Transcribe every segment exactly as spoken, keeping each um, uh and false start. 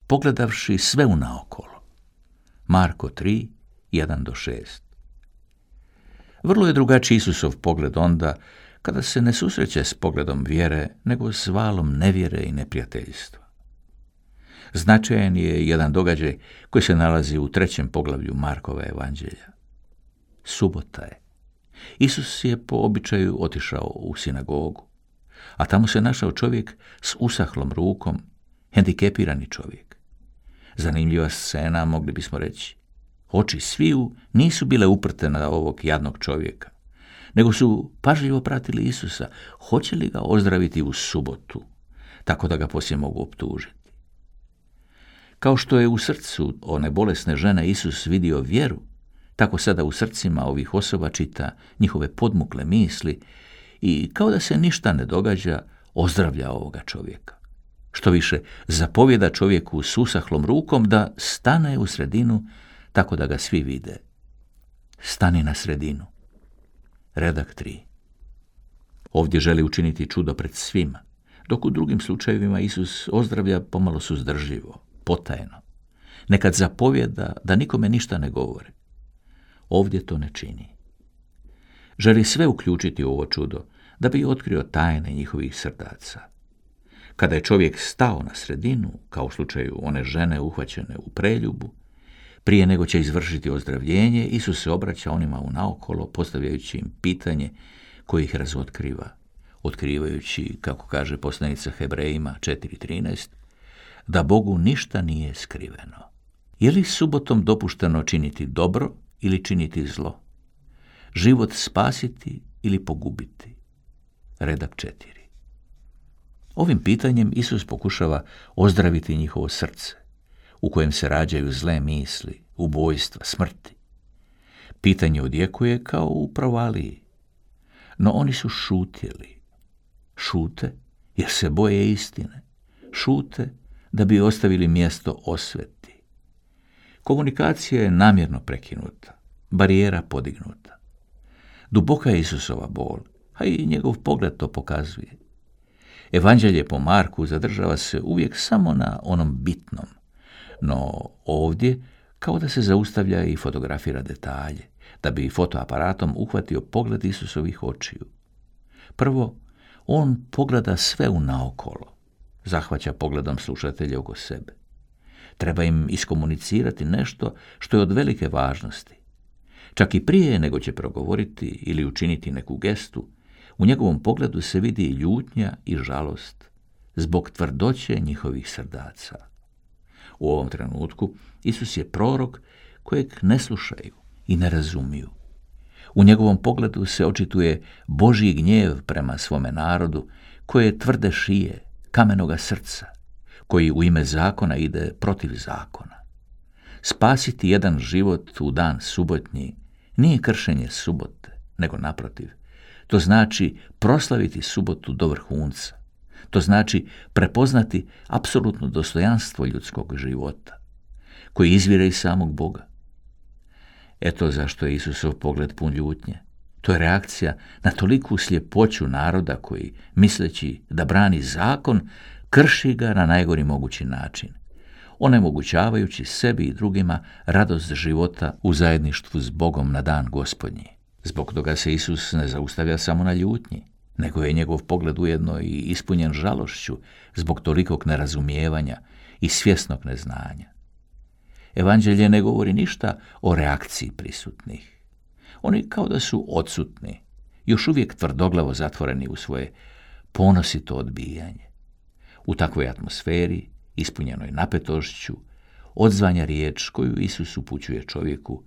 pogledavši sve unaokolo. Marko tri, jedan do šest. Vrlo je drugačiji Isusov pogled onda kada se ne susreće s pogledom vjere, nego s valom nevjere i neprijateljstva. Značajan je jedan događaj koji se nalazi u trećem poglavlju Markova evanđelja. Subota je. Isus je po običaju otišao u sinagogu, a tamo se našao čovjek s usahlom rukom, hendikepirani čovjek. Zanimljiva scena, mogli bismo reći. Oči sviju nisu bile uprte na ovog jadnog čovjeka, nego su pažljivo pratili Isusa, hoće li ga ozdraviti u subotu, tako da ga poslije mogu optužiti. Kao što je u srcu one bolesne žene Isus vidio vjeru, tako sada u srcima ovih osoba čita njihove podmukle misli i kao da se ništa ne događa, ozdravlja ovoga čovjeka. Što više, zapovjeda čovjeku s usahlom rukom da stane u sredinu tako da ga svi vide. Stani na sredinu. Redak tri. Ovdje želi učiniti čudo pred svima, dok u drugim slučajevima Isus ozdravlja pomalo suzdržljivo, potajno. Nekad zapovjeda da nikome ništa ne govori. Ovdje to ne čini. Želi sve uključiti u ovo čudo da bi otkrio tajne njihovih srdaca. Kada je čovjek stao na sredinu, kao u slučaju one žene uhvaćene u preljubu, prije nego će izvršiti ozdravljenje, Isus se obraća onima unaokolo, postavljajući im pitanje koje ih razotkriva, otkrivajući, kako kaže poslanica Hebrejima četiri trinaest, da Bogu ništa nije skriveno. Je li subotom dopušteno činiti dobro ili činiti zlo? Život spasiti ili pogubiti? Redak četiri. Ovim pitanjem Isus pokušava ozdraviti njihovo srce, u kojem se rađaju zle misli, ubojstva, smrti. Pitanje odjekuje kao u provaliji, no oni su šutjeli. Šute jer se boje istine. Šute da bi ostavili mjesto osveti. Komunikacija je namjerno prekinuta, barijera podignuta. Duboka je Isusova bol, a i njegov pogled to pokazuje. Evanđelje po Marku zadržava se uvijek samo na onom bitnom, no ovdje kao da se zaustavlja i fotografira detalje, da bi fotoaparatom uhvatio pogled Isusovih očiju. Prvo, on pogleda sve unaokolo, zahvaća pogledom slušatelja oko sebe. Treba im iskomunicirati nešto što je od velike važnosti. Čak i prije nego će progovoriti ili učiniti neku gestu, u njegovom pogledu se vidi ljutnja i žalost zbog tvrdoće njihovih srdaca. U ovom trenutku Isus je prorok kojeg ne slušaju i ne razumiju. U njegovom pogledu se očituje Božji gnjev prema svome narodu, koje je tvrde šije, kamenoga srca, koji u ime zakona ide protiv zakona. Spasiti jedan život u dan subotnji nije kršenje subote, nego naprotiv. To znači proslaviti subotu do vrhunca. To znači prepoznati apsolutno dostojanstvo ljudskog života, koji izvire iz samog Boga. Eto zašto je Isusov pogled pun ljutnje. To je reakcija na toliku sljepoću naroda koji, misleći da brani zakon, krši ga na najgori mogući način, onemogućavajući sebi i drugima radost života u zajedništvu s Bogom na dan Gospodnji. Zbog toga se Isus ne zaustavlja samo na ljutnji, nego je njegov pogled ujedno i ispunjen žalošću zbog tolikog nerazumijevanja i svjesnog neznanja. Evanđelje ne govori ništa o reakciji prisutnih. Oni kao da su odsutni, još uvijek tvrdoglavo zatvoreni u svoje ponosito odbijanje. U takvoj atmosferi, ispunjenoj napetošću, odzvanja riječ koju Isus upućuje čovjeku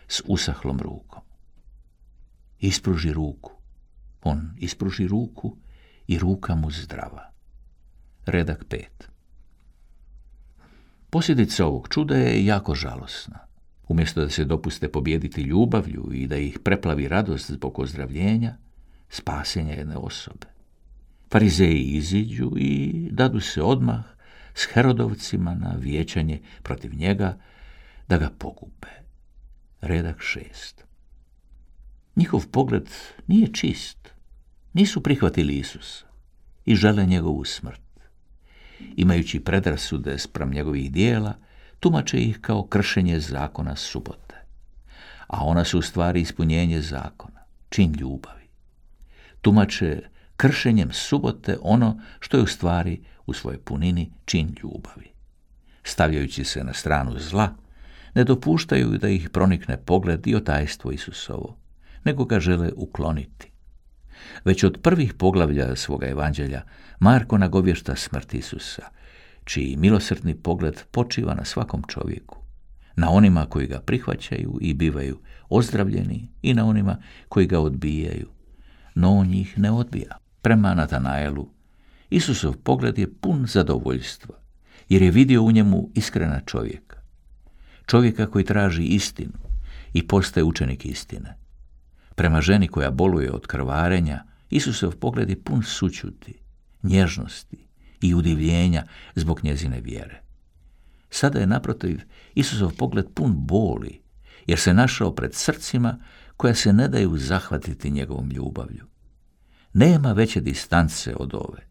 s usahlom rukom. Ispruži ruku. On ispruži ruku i ruka mu zdrava. Redak pet. Posljedica ovog čuda je jako žalosna. Umjesto da se dopuste pobijediti ljubavlju i da ih preplavi radost zbog ozdravljenja, spasenja jedne osobe, Farizeji iziđu i dadu se odmah s Herodovcima na vijećanje protiv njega da ga pogube. Redak šest. Njihov pogled nije čist. Nisu prihvatili Isusa i žele njegovu smrt. imajući predrasude spram njegovih dijela, tumače ih kao kršenje zakona subote. A ona su u stvari ispunjenje zakona, čin ljubavi. Tumače kršenjem subote ono što je u stvari u svojoj punini čin ljubavi. Stavljajući se na stranu zla, ne dopuštaju da ih pronikne pogled i otajstvo Isusovo, nego ga žele ukloniti. Već od prvih poglavlja svoga evanđelja Marko nagovješta smrt Isusa, čiji milosrdni pogled počiva na svakom čovjeku, na onima koji ga prihvaćaju i bivaju ozdravljeni i na onima koji ga odbijaju, no on njih ne odbija. Prema Natanaelu, Isusov pogled je pun zadovoljstva, jer je vidio u njemu iskrena čovjeka, čovjeka koji traži istinu i postaje učenik istine. Prema ženi koja boluje od krvarenja, Isusov pogled je pun sućuti, nježnosti i udivljenja zbog njezine vjere. Sada je naprotiv Isusov pogled pun boli, jer se našao pred srcima koja se ne daju zahvatiti njegovom ljubavlju. Nema veće distance od ove.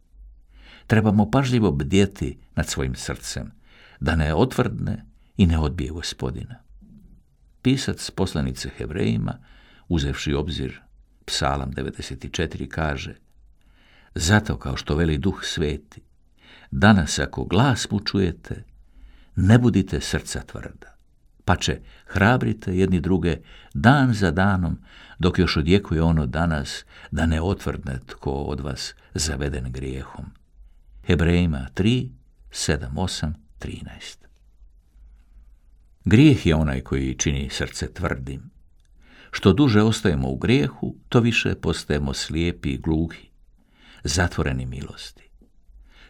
Trebamo pažljivo bdjeti nad svojim srcem, da ne otvrdne i ne odbije Gospodina. Pisac poslanice Hebrejima, uzevši obzir Psalam devedeset četiri, kaže: zato, kao što veli Duh Sveti, danas ako glas mu čujete, ne budite srca tvrda, pače hrabrite jedni druge dan za danom, dok još odjekuje ono danas, da ne otvrdne tko od vas zaveden grijehom. Hebrejima tri, sedam, osam, trinaest. Grijeh je onaj koji čini srce tvrdim. Što duže ostajemo u grijehu, to više postajemo slijepi i gluhi, zatvoreni milosti.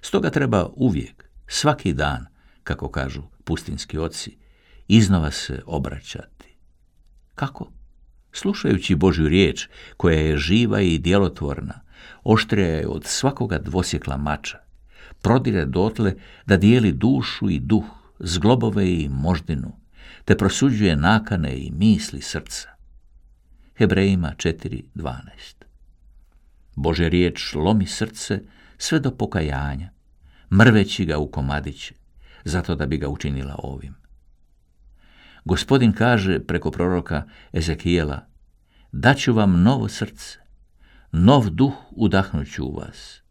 Stoga treba uvijek, svaki dan, kako kažu pustinski oci, iznova se obraćati. Kako? Slušajući Božju riječ, koja je živa i djelotvorna, oštrija je od svakoga dvosjekla mača, prodire dotle da dijeli dušu i duh, zglobove i moždinu, te prosuđuje nakane i misli srca. Hebrejima četiri, dvanaest. Božja riječ lomi srce sve do pokajanja, mrveći ga u komadiće, zato da bi ga učinila ovim. Gospodin kaže preko proroka Ezekijela: daću vam novo srce, nov duh udahnuću u vas,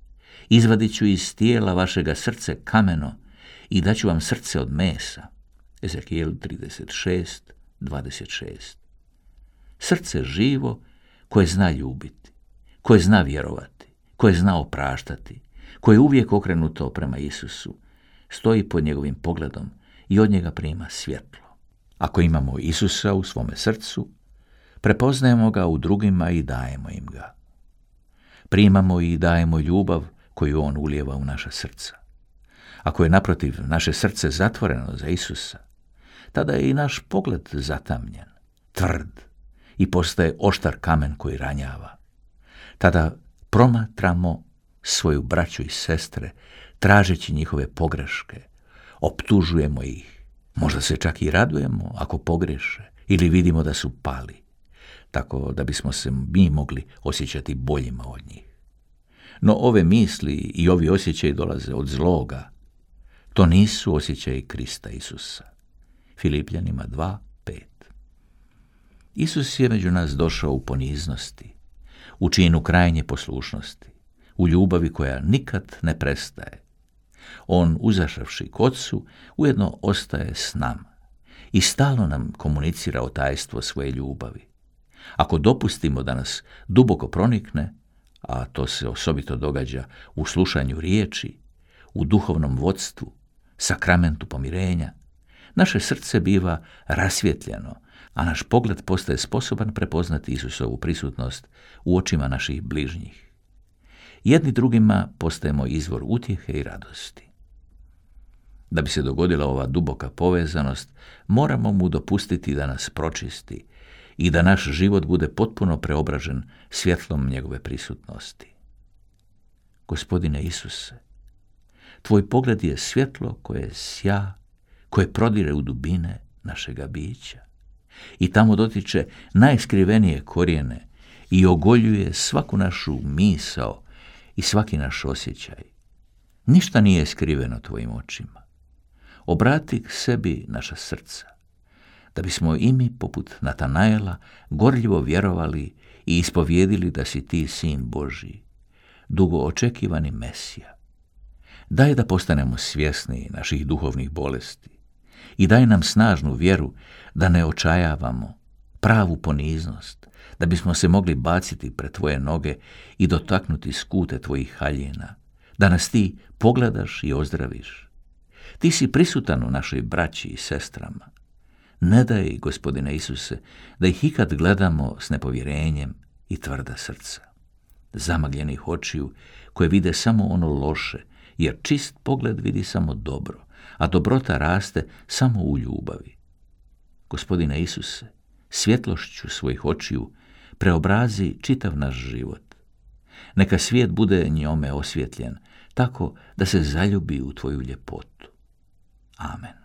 izvadit ću iz tijela vašega srce kameno i daću vam srce od mesa. Ezekijel trideset šest, dvadeset šest. Srce živo koje zna ljubiti, koje zna vjerovati, koje zna opraštati, koje je uvijek okrenuto prema Isusu, stoji pod njegovim pogledom i od njega prima svjetlo. Ako imamo Isusa u svome srcu, prepoznajemo ga u drugima i dajemo im ga. Primamo i dajemo ljubav koju on ulijeva u naša srca. Ako je naprotiv naše srce zatvoreno za Isusa, tada je i naš pogled zatamnjen, tvrd i postaje oštar kamen koji ranjava. Tada promatramo svoju braću i sestre, tražeći njihove pogreške, optužujemo ih, možda se čak i radujemo ako pogreše ili vidimo da su pali, tako da bismo se mi mogli osjećati boljima od njih. No ove misli i ovi osjećaji dolaze od zloga. To nisu osjećaji Krista Isusa. Filipljanima dva, pet. Isus je među nas došao u poniznosti, u činu krajnje poslušnosti, u ljubavi koja nikad ne prestaje. On, uzašavši k Otcu, ujedno ostaje s nama i stalno nam komunicira o tajstvo svoje ljubavi. Ako dopustimo da nas duboko pronikne, a to se osobito događa u slušanju riječi, u duhovnom vodstvu, sakramentu pomirenja, naše srce biva rasvjetljeno, a naš pogled postaje sposoban prepoznati Isusovu prisutnost u očima naših bližnjih. Jedni drugima postajemo izvor utjehe i radosti. Da bi se dogodila ova duboka povezanost, moramo mu dopustiti da nas pročisti i da naš život bude potpuno preobražen svjetlom njegove prisutnosti. Gospodine Isuse, tvoj pogled je svjetlo koje sja, koje prodire u dubine našega bića i tamo dotiče najskrivenije korijene i ogoljuje svaku našu misao i svaki naš osjećaj. Ništa nije skriveno tvojim očima. Obrati k sebi naša srca, da bismo i mi, poput Natanaela, gorljivo vjerovali i ispovjedili da si ti sin Božji, dugo očekivani Mesija. Daj da postanemo svjesni naših duhovnih bolesti i daj nam snažnu vjeru da ne očajavamo, pravu poniznost, da bismo se mogli baciti pred tvoje noge i dotaknuti skute tvojih haljina, da nas ti pogledaš i ozdraviš. Ti si prisutan u našoj braći i sestrama. Ne daj, Gospodine Isuse, da ih ikad gledamo s nepovjerenjem i tvrda srca, zamagljenih očiju koje vide samo ono loše, jer čist pogled vidi samo dobro, a dobrota raste samo u ljubavi. Gospodine Isuse, svjetlošću svojih očiju preobrazi čitav naš život. Neka svijet bude njome osvjetljen, tako da se zaljubi u tvoju ljepotu. Amen.